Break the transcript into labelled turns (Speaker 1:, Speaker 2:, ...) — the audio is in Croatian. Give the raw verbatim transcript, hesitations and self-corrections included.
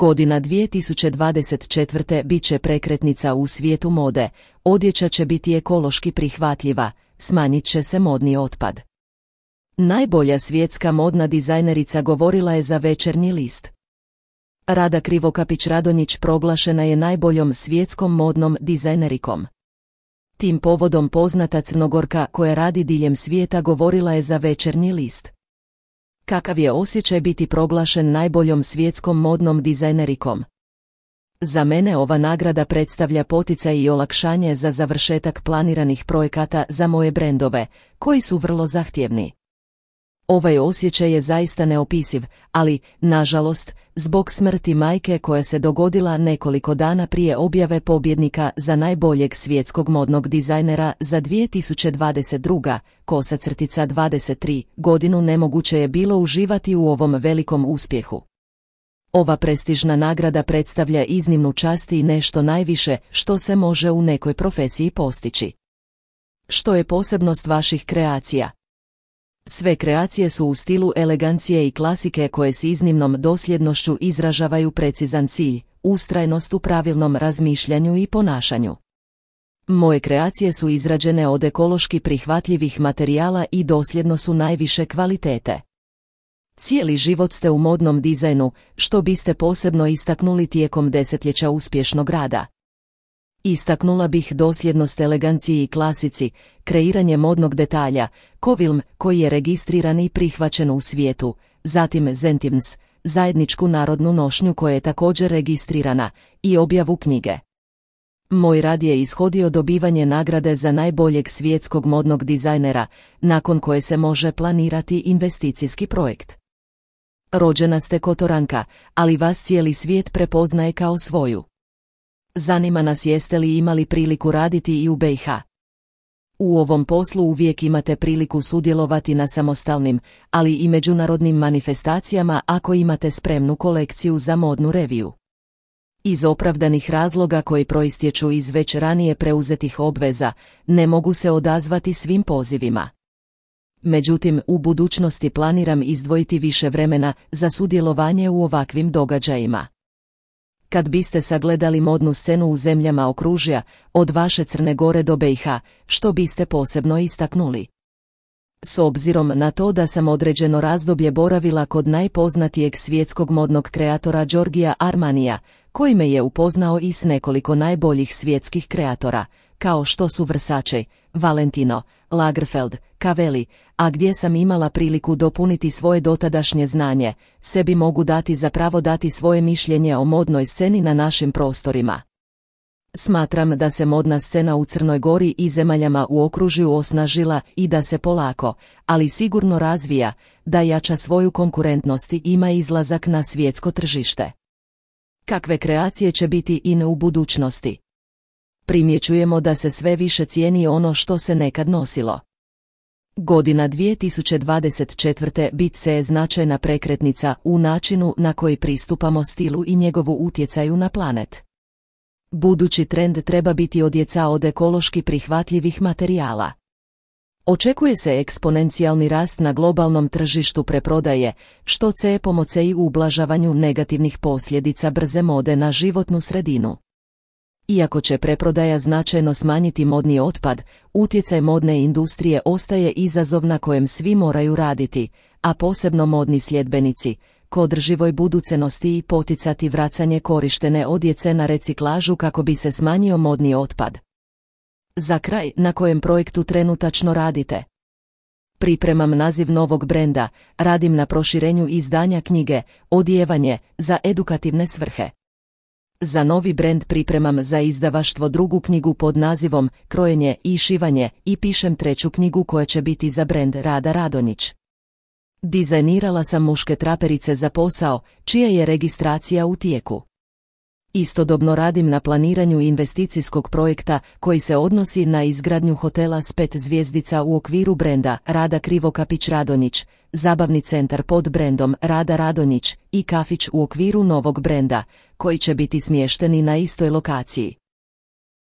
Speaker 1: Godina dvije tisuće dvadeset četvrte bit će prekretnica u svijetu mode, odjeća će biti ekološki prihvatljiva, smanjit će se modni otpad. Najbolja svjetska modna dizajnerica govorila je za Večernji list. Rada Krivokapić-Radonjić proglašena je najboljom svjetskom modnom dizajnerikom. Tim povodom poznata Crnogorka koja radi diljem svijeta govorila je za Večernji list. Kakav je osjećaj biti proglašen najboljom svjetskom modnom dizajnerikom? Za mene ova nagrada predstavlja poticaj i olakšanje za završetak planiranih projekata za moje brendove, koji su vrlo zahtjevni. Ovaj osjećaj je zaista neopisiv, ali, nažalost, zbog smrti majke koja se dogodila nekoliko dana prije objave pobjednika za najboljeg svjetskog modnog dizajnera za dvije tisuće dvadeset druga. kosa crtica dvadeset tri. godinu nemoguće je bilo uživati u ovom velikom uspjehu. Ova prestižna nagrada predstavlja iznimnu čast i nešto najviše što se može u nekoj profesiji postići. Što je posebnost vaših kreacija? Sve kreacije su u stilu elegancije i klasike koje s iznimnom dosljednošću izražavaju precizan cilj, ustrajnost u pravilnom razmišljanju i ponašanju. Moje kreacije su izrađene od ekološki prihvatljivih materijala i dosljedno su najviše kvalitete. Cijeli život ste u modnom dizajnu, što biste posebno istaknuli tijekom desetljeća uspješnog rada. Istaknula bih dosljednost eleganciji i klasici, kreiranje modnog detalja, Covilm koji je registriran i prihvaćen u svijetu, zatim Zentims, zajedničku narodnu nošnju koja je također registrirana, i objavu knjige. Moj rad je ishodio dobivanje nagrade za najboljeg svjetskog modnog dizajnera, nakon koje se može planirati investicijski projekt. Rođena ste Kotoranka, ali vas cijeli svijet prepoznaje kao svoju. Zanima nas jeste li imali priliku raditi i u be i ha. U ovom poslu uvijek imate priliku sudjelovati na samostalnim, ali i međunarodnim manifestacijama ako imate spremnu kolekciju za modnu reviju. Iz opravdanih razloga koji proistječu iz već ranije preuzetih obveza, ne mogu se odazvati svim pozivima. Međutim, u budućnosti planiram izdvojiti više vremena za sudjelovanje u ovakvim događajima. Kad biste sagledali modnu scenu u zemljama okružja, od vaše Crne Gore do be i ha, što biste posebno istaknuli? S obzirom na to da sam određeno razdoblje boravila kod najpoznatijeg svjetskog modnog kreatora Giorgia Armanija, koji me je upoznao i s nekoliko najboljih svjetskih kreatora, kao što su Versace, Valentino, Lagerfeld, Cavelli, a gdje sam imala priliku dopuniti svoje dotadašnje znanje, sebi mogu dati za pravo dati svoje mišljenje o modnoj sceni na našim prostorima. Smatram da se modna scena u Crnoj Gori i zemaljama u okružju osnažila i da se polako, ali sigurno razvija, da jača svoju konkurentnost i ima izlazak na svjetsko tržište. Kakve kreacije će biti in u budućnosti? Primjećujemo da se sve više cijeni ono što se nekad nosilo. Godina dvije tisuće dvadeset četvrte bit se je značajna prekretnica u načinu na koji pristupamo stilu i njegovu utjecaju na planet. Budući trend treba biti odjeća od ekološki prihvatljivih materijala. Očekuje se eksponencijalni rast na globalnom tržištu preprodaje, što će pomoći u ublažavanju negativnih posljedica brze mode na životnu sredinu. Iako će preprodaja značajno smanjiti modni otpad, utjecaj modne industrije ostaje izazov na kojem svi moraju raditi, a posebno modni sljedbenici, k održivoj budućnosti i poticati vracanje korištene odjeće na reciklažu kako bi se smanjio modni otpad. Za kraj, na kojem projektu trenutačno radite? Pripremam naziv novog brenda, radim na proširenju izdanja knjige Odijevanje za edukativne svrhe. Za novi brend pripremam za izdavaštvo drugu knjigu pod nazivom Krojenje i šivanje i pišem treću knjigu koja će biti za brend Rada Radonjić. Dizajnirala sam muške traperice za posao, čija je registracija u tijeku. Istodobno radim na planiranju investicijskog projekta koji se odnosi na izgradnju hotela s pet zvjezdica u okviru brenda Rada Krivokapić-Radonjić, zabavni centar pod brendom Rada Radonjić i kafić u okviru novog brenda, koji će biti smješteni na istoj lokaciji.